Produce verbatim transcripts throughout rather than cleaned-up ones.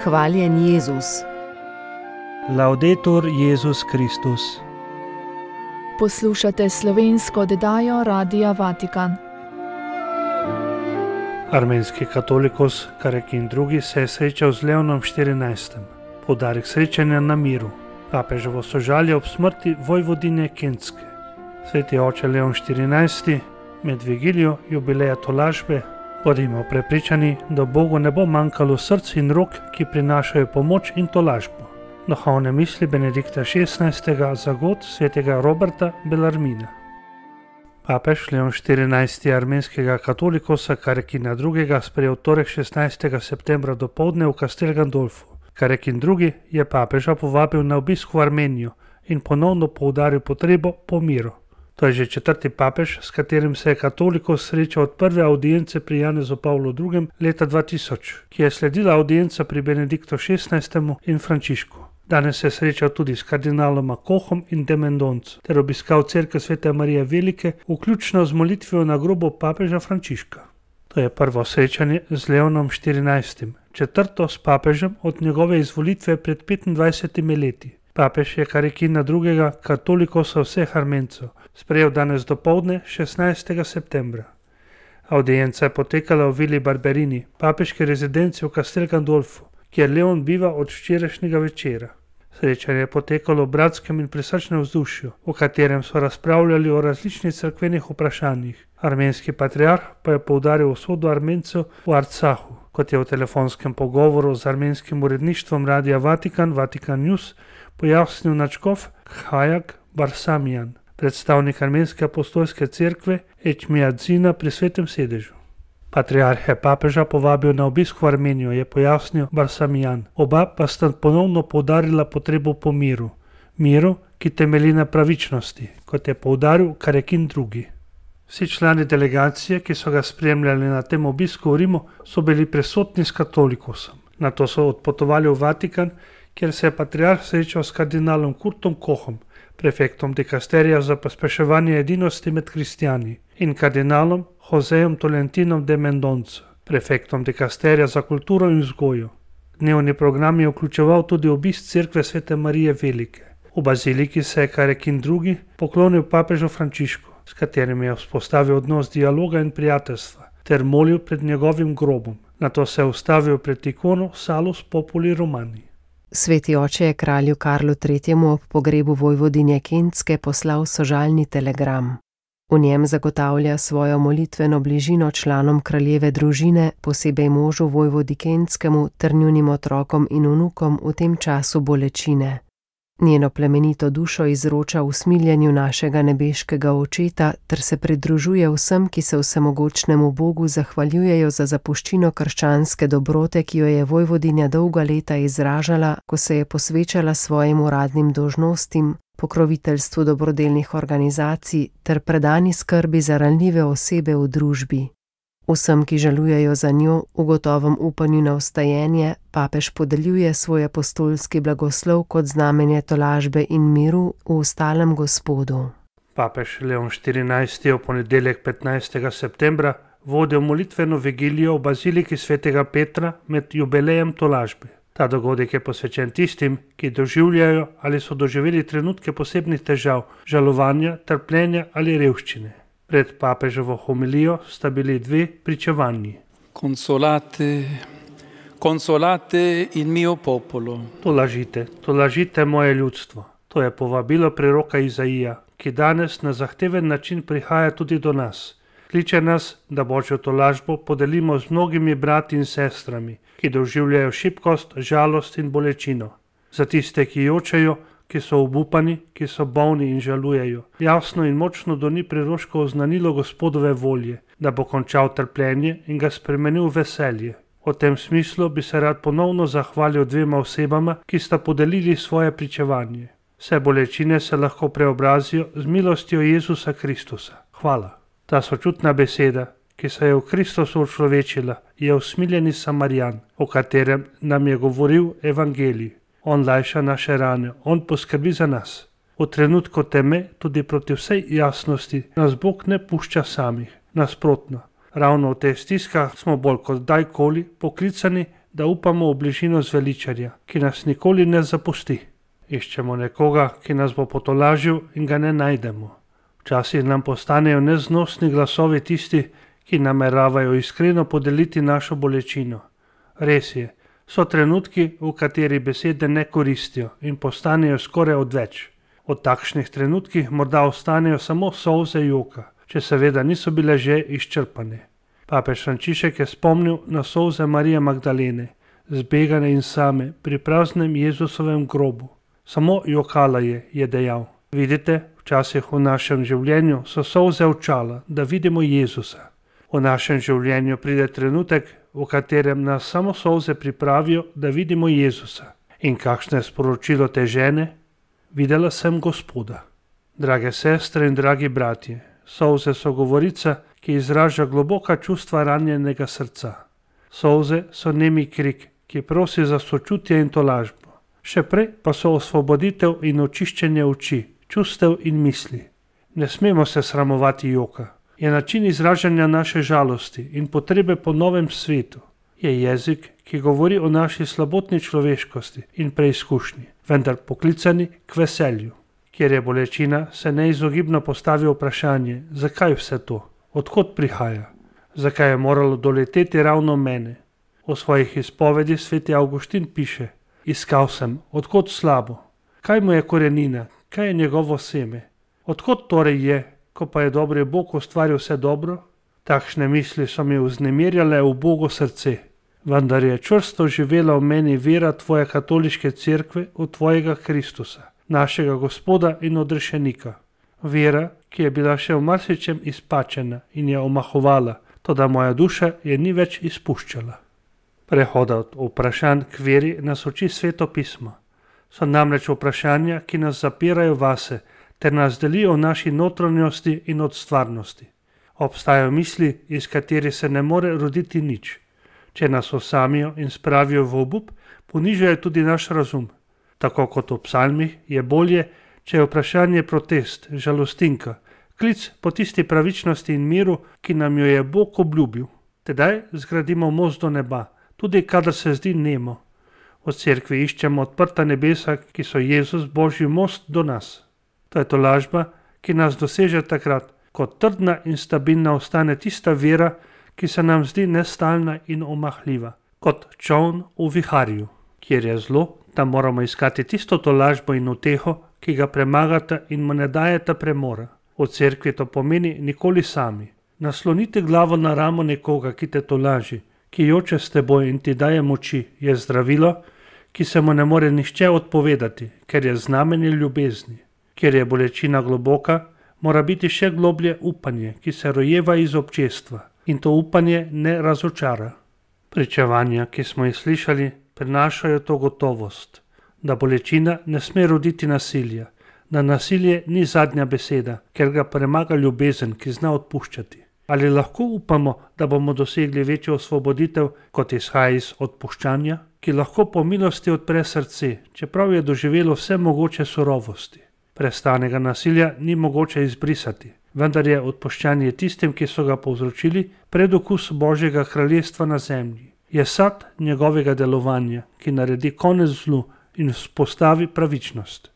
Hvaljen Jezus. Laudetur Jezus Kristus. Poslušate slovensko oddajo Radia Vatikan. Armenski katolikus Karekin drugi se je srečal z Leonom štirinajstim. Poudarek srečanja na miru. Papeževo sožalje ob smrti vojvodinje Kentske. Sveti oče Leon štirinajsti med vigilijo jubileja tolažbe bodimo prepričani, da Bogu ne bo manjkalo src in rok, ki prinašajo pomoč in tolažbo. Duhovne misli Benedikta šestnajstega za god svetega Roberta Bellarmina. Papež Leon štirinajsti armenskega katolikusa Karekina drugega sprejel torek šestnajstega septembra dopoldne v Castel Gandolfu. Karekin drugi je papeža povabil na obisk v Armenijo in ponovno poudaril potrebo po miru. To je že četrti papež, s katerim se je katolikus srečal od prve audience pri Janezu Pavlu drugem leta dva tisoč, ki je sledila audienca pri Benediktu šestnajstem in Frančišku. Danes se je srečal tudi s kardinaloma Kohom in de Mendonco ter obiskal cerkev Svete Marije Velike, vključno z molitvijo na grobu papeža Frančiška. To je prvo srečanje z Leonom štirinajstim, četrto s papežem od njegove izvolitve pred petindvajsetimi leti. Papež je Karekina drugega katolikusa vseh Armencev sprejel danes dopoldne šestnajstega septembra. Audienca je potekala v Vili Barberini, papeški rezidenci v Castel Gandolfu, kjer Leon biva od včerajšnjega večera. Srečanje je potekalo v bratskem in prisrčnem vzdušju, v katerem so razpravljali o različnih cerkvenih vprašanjih. Armenski patriarh pa je poudaril usodo Armencev v Arcahu, kot je v telefonskem pogovoru z armenskim uredništvom Radia Vatikan, Vatikan News, pojasnil nadškof Khajak Barsamian, predstavnik armenske apostolske cerkve Ečmiadzina pri Svetem sedežu. Patriarh je papeža povabil na obisk v Armenijo, je pojasnil Barsamian. Oba pa sta ponovno poudarila potrebo po miru. Miru, ki temelji na pravičnosti, kot je poudaril Karekin drugi. Vsi člani delegacije, ki so ga spremljali na tem obisku v Rimu, so bili prisotni s katolikusom. Nato so odpotovali v Vatikan, kjer se je patriarh srečal s kardinalom Kurtom Kohom, prefektom dikasterija za pospeševanje edinosti med kristjani, in kardinalom Josejem Tolentinom de Mendonco, prefektom dikasterija za kulturo in vzgojo. Dnevni program je vključeval tudi obisk cerkve Svete Marije Velike. V baziliki se je Karekin drugi poklonil papežu Frančišku, s katerim je vzpostavil odnos dialoga in prijateljstva, ter molil pred njegovim grobom. Nato se je ustavil pred ikono Salus Populi Romani. Sveti oče je kralju Karlu tretjemu ob pogrebu vojvodinje Kentske poslal sožalni telegram. V njem zagotavlja svojo molitveno bližino članom kraljeve družine, posebej možu vojvodi Kentskemu ter njunim otrokom in vnukom v tem času bolečine. Njeno plemenito dušo izroča v smiljenju našega nebeškega očeta ter se pridružuje vsem, ki se vsemogočnemu Bogu zahvaljujejo za zapuščino krščanske dobrote, ki jo je vojvodinja dolga leta izražala, ko se je posvečala svojim uradnim dolžnostim, pokroviteljstvu dobrodelnih organizacij ter predani skrbi za ranljive osebe v družbi. Vsem, ki žalujejo za njo, v gotovem upanju na vstajenje, papež podeljuje svoj apostolski blagoslov kot znamenje tolažbe in miru v ostalem Gospodu. Papež Leon štirinajsti je v ponedeljek petnajstega septembra vodil molitveno vigilijo v baziliki Svetega Petra med jubilejem tolažbe. Ta dogodek je posvečen tistim, ki doživljajo ali so doživeli trenutke posebnih težav, žalovanja, trpljenja ali revščine. Pred papeževo homilijo sta bili dve pričevanji. Consolate, consolate il mio popolo. Tolažite, tolažite moje ljudstvo. To je povabilo preroka Izaija, ki danes na zahteven način prihaja tudi do nas. Kliče nas, da Božjo tolažbo podelimo z mnogimi brati in sestrami, ki doživljajo šibkost, žalost in bolečino. Za tiste, ki jočejo, ki so obupani, ki so bolni in žalujejo. Jasno in močno doni priroško oznanilo Gospodove volje, da bo končal trpljenje in ga spremenil v veselje. V tem smislu bi se rad ponovno zahvalil dvema osebama, ki sta podelili svoje pričevanje. Vse bolečine se lahko preobrazijo z milostjo Jezusa Kristusa. Hvala. Ta sočutna beseda, ki se je v Kristusu učlovečila, je usmiljeni Samarijan, o katerem nam je govoril evangelij. On lajša naše rane, on poskrbi za nas. V trenutku teme, tudi proti vsej jasnosti, nas Bog ne pušča samih. Nasprotno, ravno v teh stiskah smo bolj kot kdajkoli poklicani, da upamo v bližino zveličarja, ki nas nikoli ne zapusti. Iščemo nekoga, ki nas bo potolažil in ga ne najdemo. Včasih nam postanejo neznosni glasovi tisti, ki nameravajo iskreno podeliti našo bolečino. Res je, so trenutki, v kateri besede ne koristijo in postanejo skoraj odveč. Od takšnih trenutkih morda ostanejo samo solze joka, če seveda niso bile že izčrpane. Papež Frančišek je spomnil na solze Marije Magdalene, zbegane in same pri praznem Jezusovem grobu. Samo jokala je, je dejal. Vidite, včasih v našem življenju so solze očala, da vidimo Jezusa. V našem življenju pride trenutek, v katerem nas samo solze pripravijo, da vidimo Jezusa. In kakšno je sporočilo te žene? Videla sem Gospoda. Drage sestre in dragi bratje, solze so govorica, ki izraža globoka čustva ranjenega srca. Solze so nemi krik, ki prosi za sočutje in tolažbo. Še prej pa so osvoboditev in očiščenje oči, čustev in misli. Ne smemo se sramovati joka. Je način izražanja naše žalosti in potrebe po novem svetu. Je jezik, ki govori o naši slabotni človeškosti in preizkušnji, vendar poklicani k veselju. Kjer je bolečina, se neizogibno postavi vprašanje, zakaj vse to, odkot prihaja, zakaj je moralo doleteti ravno mene. V svojih izpovedih sveti Avguštin piše: Iskal sem, odkot slabo, kaj mu je korenina, kaj je njegovo seme, odkot torej je, ko pa je dobri Bog ustvaril vse dobro? Takšne misli so mi vznemirjale ubogo srce, vendar je čvrsto živela v meni vera tvoje katoliške cerkve v tvojega Kristusa, našega Gospoda in odrešenika. Vera, ki je bila še v marsičem izpačena in je omahovala, toda moja duša je ni več izpuščala. Prehoda od vprašanj k veri nas uči Sveto pismo. So namreč vprašanja, ki nas zapirajo vase, ter nas delijo v naši notranjosti in od stvarnosti. Obstajajo misli, iz katerih se ne more roditi nič. Če nas osamijo in spravijo v obup, ponižajo tudi naš razum. Tako kot v psalmih je bolje, če je vprašanje protest, žalostinka, klic po tisti pravičnosti in miru, ki nam jo je Bog obljubil. Tedaj zgradimo most do neba, tudi kadar se zdi nemo. V cerkvi iščemo odprta nebesa, ki so Jezus, Božji most do nas. To je tolažba, ki nas doseže takrat, ko trdna in stabilna ostane tista vera, ki se nam zdi nestalna in omahljiva, kot čoln v viharju. Kjer je zlo, tam moramo iskati tisto tolažbo in uteho, ki ga premagata in mu ne dajeta premora. V cerkvi to pomeni nikoli sami. Nasloniti glavo na ramo nekoga, ki te tolaži, ki joče s teboj in ti daje moči, je zdravilo, ki se mu ne more nihče odpovedati, ker je znamenje ljubezni. Ker je bolečina globoka, mora biti še globlje upanje, ki se rojeva iz občestva, in to upanje ne razočara. Pričevanja, ki smo jih slišali, prinašajo to gotovost, da bolečina ne sme roditi nasilja, da nasilje ni zadnja beseda, ker ga premaga ljubezen, ki zna odpuščati. Ali lahko upamo, da bomo dosegli večjo osvoboditev, kot izhaja iz odpuščanja, ki lahko po milosti odpre srce, čeprav je doživelo vse mogoče surovosti. Prestanega nasilja ni mogoče izbrisati, vendar je odpuščanje tistim, ki so ga povzročili, predokus Božjega kraljestva na zemlji. Je sad njegovega delovanja, ki naredi konec zlu in vzpostavi pravičnost.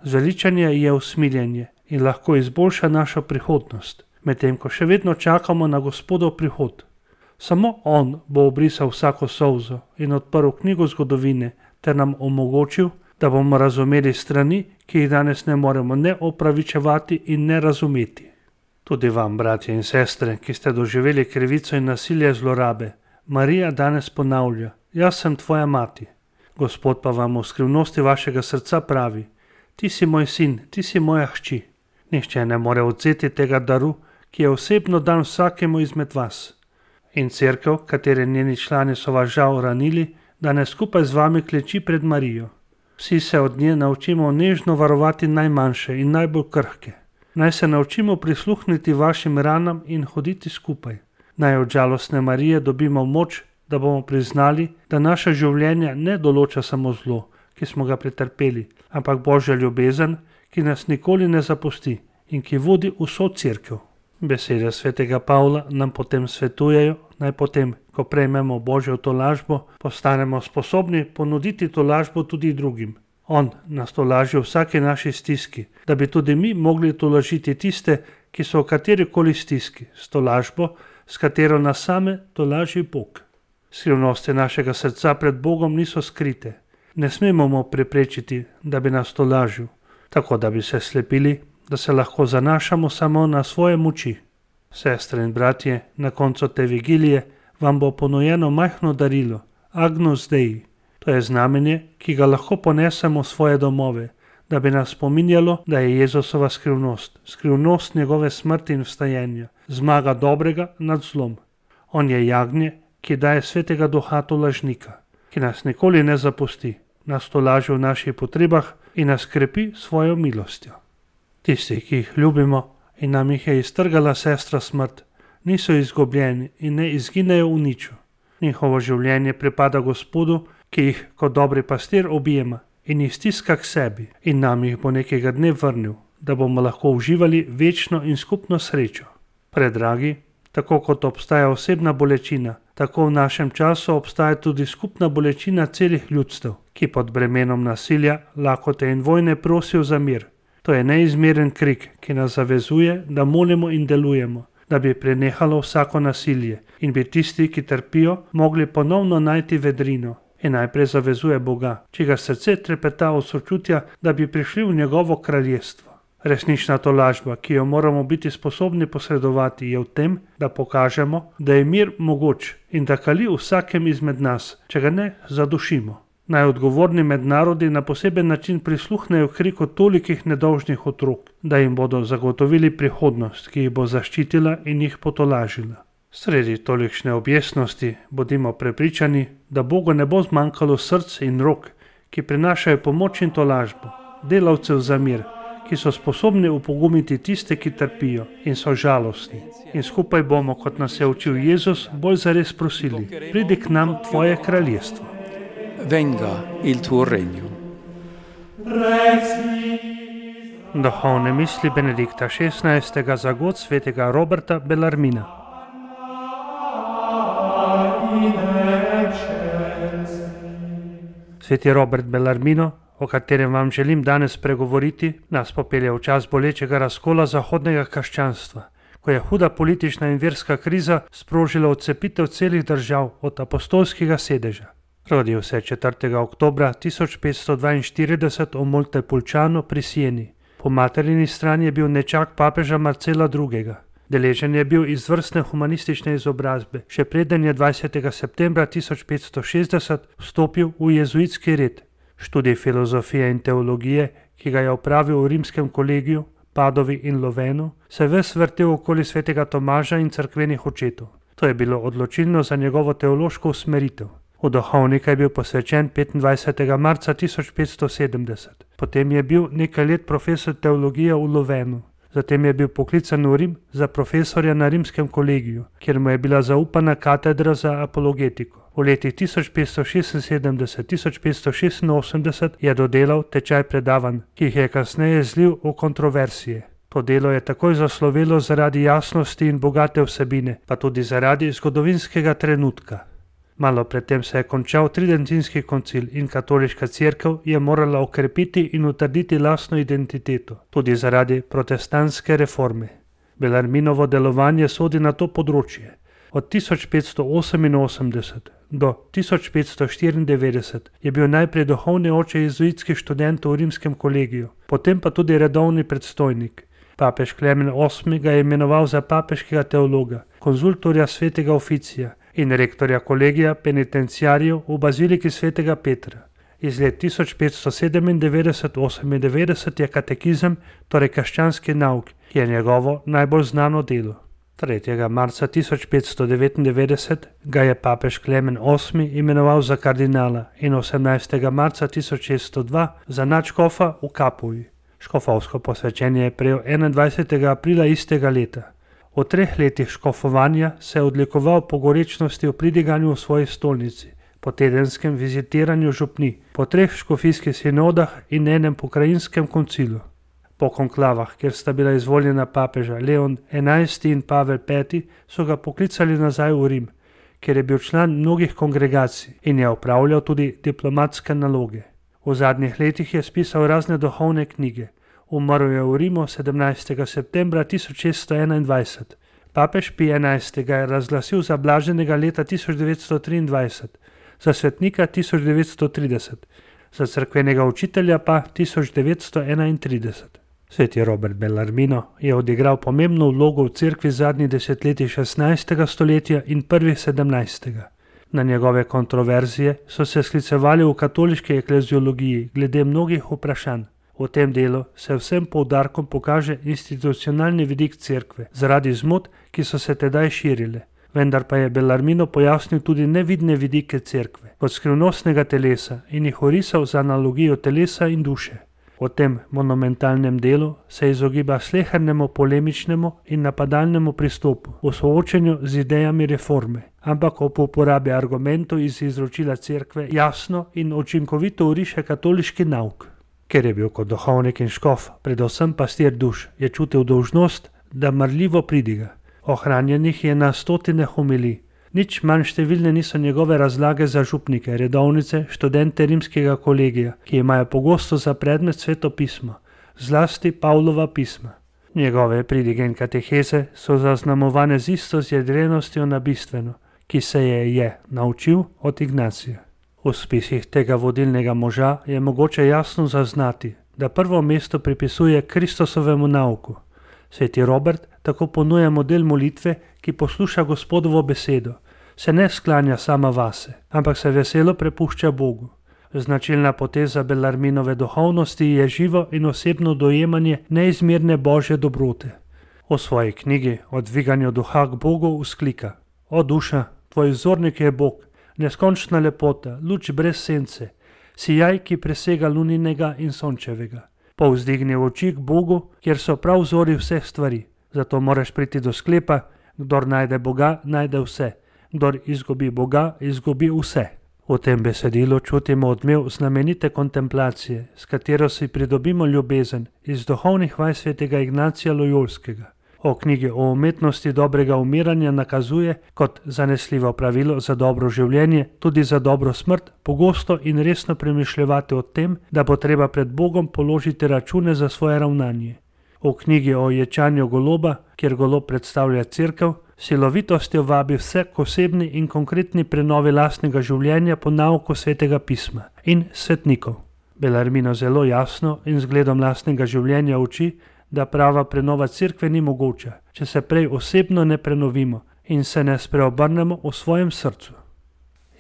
Zveličanje je usmiljenje in lahko izboljša našo prihodnost, medtem ko še vedno čakamo na Gospodov prihod. Samo On bo obrisal vsako solzo in odprl knjigo zgodovine ter nam omogočil, da bomo razumeli strani, ki jih danes ne moremo ne opravičevati in ne razumeti. Tudi vam, bratje in sestre, ki ste doživeli krivico in nasilje zlorabe, Marija danes ponavlja: Jaz sem tvoja mati. Gospod pa vam v skrivnosti vašega srca pravi: Ti si moj sin, ti si moja hči. Nihče ne more odvzeti tega daru, ki je osebno dan vsakemu izmed vas. In cerkev, katere njeni člani so vas žal ranili, danes skupaj z vami kleči pred Marijo. Vsi se od nje naučimo nežno varovati najmanjše in najbolj krhke. Naj se naučimo prisluhniti vašim ranam in hoditi skupaj. Naj od žalostne Marije dobimo moč, da bomo priznali, da naša življenja ne določa samo zlo, ki smo ga pretrpeli, ampak Božja ljubezen, ki nas nikoli ne zapusti in ki vodi vso cerkev. Besede svetega Pavla nam potem svetujejo, naj potem, Ko prejmemo Božjo tolažbo, postanemo sposobni ponuditi tolažbo tudi drugim. On nas tolaži v vsaki naši stiski, da bi tudi mi mogli tolažiti tiste, ki so v katerikoli stiski, s tolažbo, s katero nas same tolaži Bog. Skrivnosti našega srca pred Bogom niso skrite. Ne smemo mu preprečiti, da bi nas tolažil, tako da bi se slepili, da se lahko zanašamo samo na svoje moči. Sestre in bratje, na koncu te vigilije vam bo ponujeno majhno darilo, Agnus Dei. To je znamenje, ki ga lahko ponesemo v svoje domove, da bi nas spominjalo, da je Jezusova skrivnost, skrivnost njegove smrti in vstajenja, zmaga dobrega nad zlom. On je jagnje, ki daje svetega duha tolažnika, ki nas nikoli ne zapusti, nas tolaži v naših potrebah in nas krepi svojo milostjo. Tisti, ki jih ljubimo in nam jih je iztrgala sestra smrt, niso izgubljeni in ne izginejo v niču. Njihovo življenje pripada Gospodu, ki jih kot dobri pastir objema in jih stiska k sebi in nam jih bo nekega dne vrnil, da bomo lahko uživali večno in skupno srečo. Predragi, tako kot obstaja osebna bolečina, tako v našem času obstaja tudi skupna bolečina celih ljudstev, ki pod bremenom nasilja, lakote in vojne prosijo za mir. To je neizmeren krik, ki nas zavezuje, da molimo in delujemo, da bi prenehalo vsako nasilje in bi tisti, ki trpijo, mogli ponovno najti vedrino. In najprej zavezuje Boga, čigar srce trepeta od sočutja, da bi prišli v njegovo kraljestvo. Resnična tolažba, ki jo moramo biti sposobni posredovati, je v tem, da pokažemo, da je mir mogoč in da kali v vsakem izmed nas, če ga ne zadušimo. Naj odgovorni med narodi na poseben način prisluhnejo kriku tolikih nedolžnih otrok, da jim bodo zagotovili prihodnost, ki jih bo zaščitila in jih potolažila. Sredi tolikšne objesnosti bodimo prepričani, da Bogu ne bo zmanjkalo src in rok, ki prinašajo pomoč in tolažbo, delavcev za mir, ki so sposobni upogumiti tiste, ki trpijo in so žalostni. In skupaj bomo, kot nas je učil Jezus, bolj zares prosili, pridi k nam tvoje kraljestvo. Venga il tuo regno. Duhovne misli Benedikta šestnajstega za god svetega Roberta Bellarmina. Sveti Robert Bellarmino, o katerem vam želim danes pregovoriti, nas popelje v čas bolečega razkola zahodnega krščanstva, ko je huda politična in verska kriza sprožila odcepitev celih držav od apostolskega sedeža. Rodil se je četrtega oktobra tisoč petsto dvainštirideset v Montepulciano pri Sieni. Po materini strani je bil nečak papeža Marcela drugega. Deležen je bil izvrstne humanistične izobrazbe, še preden je dvajsetega septembra tisoč petsto šestdeset vstopil v jezuitski red. Študij filozofije in teologije, ki ga je opravil v rimskem kolegiju, Padovi in Lovenu, se ves vrtel okoli svetega Tomaža in cerkvenih očetov. To je bilo odločilno za njegovo teološko usmeritev. V duhovnika je bil posvečen petindvajsetega marca tisoč petsto sedemdeset. Potem je bil nekaj let profesor teologije v Lovenu. Zatem je bil poklican v Rim za profesorja na rimskem kolegiju, kjer mu je bila zaupana katedra za apologetiko. V letih tisoč petsto šestinsedemdeset do tisoč petsto šestinosemdeset je dodelal tečaj predavanj, ki jih je kasneje zlil v kontroverzije. To delo je takoj zaslovelo zaradi jasnosti in bogate vsebine, pa tudi zaradi zgodovinskega trenutka. Malo predtem se je končal tridentinski koncil in katoliška cerkev je morala okrepiti in utrditi lastno identiteto, tudi zaradi protestantske reforme. Bellarminovo delovanje sodi na to področje. Od tisoč petsto oseminosemdeset do tisoč petsto štiriindevetdeset je bil najprej duhovni oče jezuitskih študentov v rimskem kolegiju, potem pa tudi redovni predstojnik. Papež Klemen osmi ga je imenoval za papeškega teologa, konzultorja svetega oficija in rektorja kolegija penitenciarjev v baziliki svetega Petra. Iz let tisoč petsto sedemindevetdeset do osemindevetdeset je katekizem, torej krščanski nauk, ki je njegovo najbolj znano delo. tretjega marca tisoč petsto devetindevetdeset ga je papež Klemen osmi imenoval za kardinala in osemnajstega marca tisoč šeststo dva za nadškofa v Kapuji. Škofovsko posvečenje je prejel enaindvajsetega aprila istega leta. V treh letih škofovanja se je odlikoval po gorečnosti v pridiganju v svoji stolnici, po tedenskem vizitiranju župni, po treh škofijskih sinodah in enem pokrajinskem koncilu. Po konklavah, kjer sta bila izvoljena papeža Leon enajsti in Pavel peti, so ga poklicali nazaj v Rim, kjer je bil član mnogih kongregacij in je opravljal tudi diplomatske naloge. V zadnjih letih je spisal razne duhovne knjige. Umrl je v Rimu sedemnajstega septembra tisoč šeststo enaindvajset. Papež Pij enajsti ga je razglasil za blaženega leta tisoč devetsto triindvajset, za svetnika tisoč devetsto trideset, za cerkvenega učitelja pa tisoč devetsto enaintrideset. Sveti Robert Bellarmino je odigral pomembno vlogo v cerkvi zadnjih desetletij šestnajstega stoletja in prvih sedemnajstega. Na njegove kontroverzije so se sklicevali v katoliški ekleziologiji glede mnogih vprašanj. V tem delu se vsem poudarkom pokaže institucionalni vidik cerkve zaradi zmot, ki so se tedaj širile. Vendar pa je Bellarmino pojasnil tudi nevidne vidike cerkve kot skrivnostnega telesa in jih orisal z analogijo telesa in duše. V tem monumentalnem delu se izogiba slehernemu polemičnemu in napadalnemu pristopu v soočenju z idejami reforme, ampak ob uporabi argumentov iz izročila cerkve jasno in učinkovito oriše katoliški nauk. Ker je bil kot duhovnik in škof, predvsem pastir duš, je čutil dolžnost, da marljivo pridiga. Ohranjenih je na stotine homilij. Nič manj številne niso njegove razlage za župnike, redovnice, študente rimskega kolegija, ki imajo pogosto za predmet Sveto pismo, zlasti Pavlova pisma. Njegove pridige in kateheze so zaznamovane z isto zjedrenostjo na bistveno, ki se je je naučil od Ignacija. V spisih tega vodilnega moža je mogoče jasno zaznati, da prvo mesto pripisuje Kristusovemu nauku. Sveti Robert tako ponuja model molitve, ki posluša Gospodovo besedo, se ne sklanja sama vase, ampak se veselo prepušča Bogu. Značilna poteza Bellarminove duhovnosti je živo in osebno dojemanje neizmerne božje dobrote. V svoji knjigi O dviganju duha k Bogu vzklika: O duša, tvoj vzornik je Bog, neskončna lepota, luč brez sence, sijaj, ki presega luninega in sončevega. Povzdigni oči k Bogu, kjer so prav vzori vseh stvari. Zato moraš priti do sklepa: kdor najde Boga, najde vse. Kdor izgubi Boga, izgubi vse. V tem besedilu čutimo odmev znamenite kontemplacije, s katero si pridobimo ljubezen iz duhovnih vaj svetega Ignacija Lojolskega. O knjigi o umetnosti dobrega umiranja nakazuje kot zanesljivo pravilo za dobro življenje, tudi za dobro smrt, pogosto in resno premišljevati o tem, da bo treba pred Bogom položiti račune za svoje ravnanje. V knjigi o ječanju goloba, kjer golob predstavlja cerkev, silovitostjo vabi vse k osebni in konkretni prenovi lastnega življenja po nauku Svetega pisma in svetnikov. Bellarmino zelo jasno in zgledom lastnega življenja uči, da prava prenova cerkve ni mogoča, če se prej osebno ne prenovimo in se ne spreobrnemo v svojem srcu.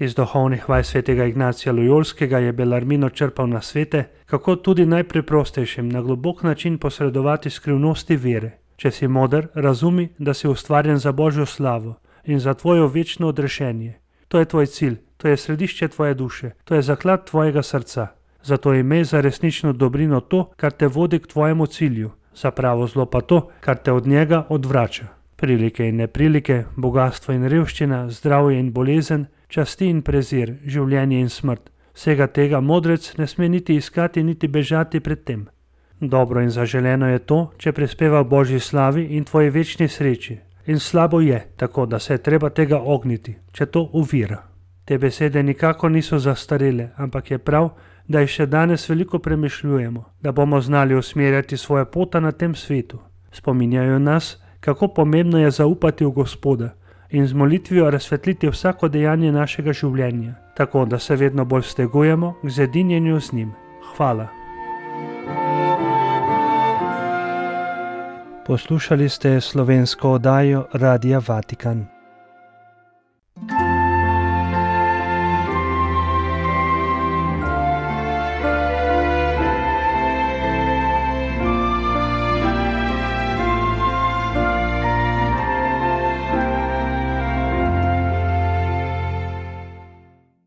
Iz duhovnih vaj svetega Ignacija Lojolskega je Bellarmino črpal nasvete, kako tudi najpreprostejšim na globok način posredovati skrivnosti vere. Če si moder, razumi, da si ustvarjen za Božjo slavo in za tvojo večno odrešenje. To je tvoj cilj, to je središče tvoje duše, to je zaklad tvojega srca. Zato imej za resnično dobrino to, kar te vodi k tvojemu cilju, za pravo zlo pa to, kar te od njega odvrača. Prilike in neprilike, bogatstvo in revščina, zdravje in bolezen, časti in prezir, življenje in smrt. Vsega tega modrec ne sme niti iskati, niti bežati pred tem. Dobro in zaželeno je to, če prispeva Božji slavi in tvoji večni sreči. In slabo je, tako da se je treba tega ogniti, če to uvira. Te besede nikako niso zastarele, ampak je prav, da jih še danes veliko premišljujemo, da bomo znali usmerjati svoje pota na tem svetu. Spominjajo nas, kako pomembno je zaupati v Gospoda in z molitvijo razsvetliti vsako dejanje našega življenja, tako da se vedno bolj stegujemo k zedinjenju z njim. Hvala. Poslušali ste slovensko oddajo Radia Vatikan.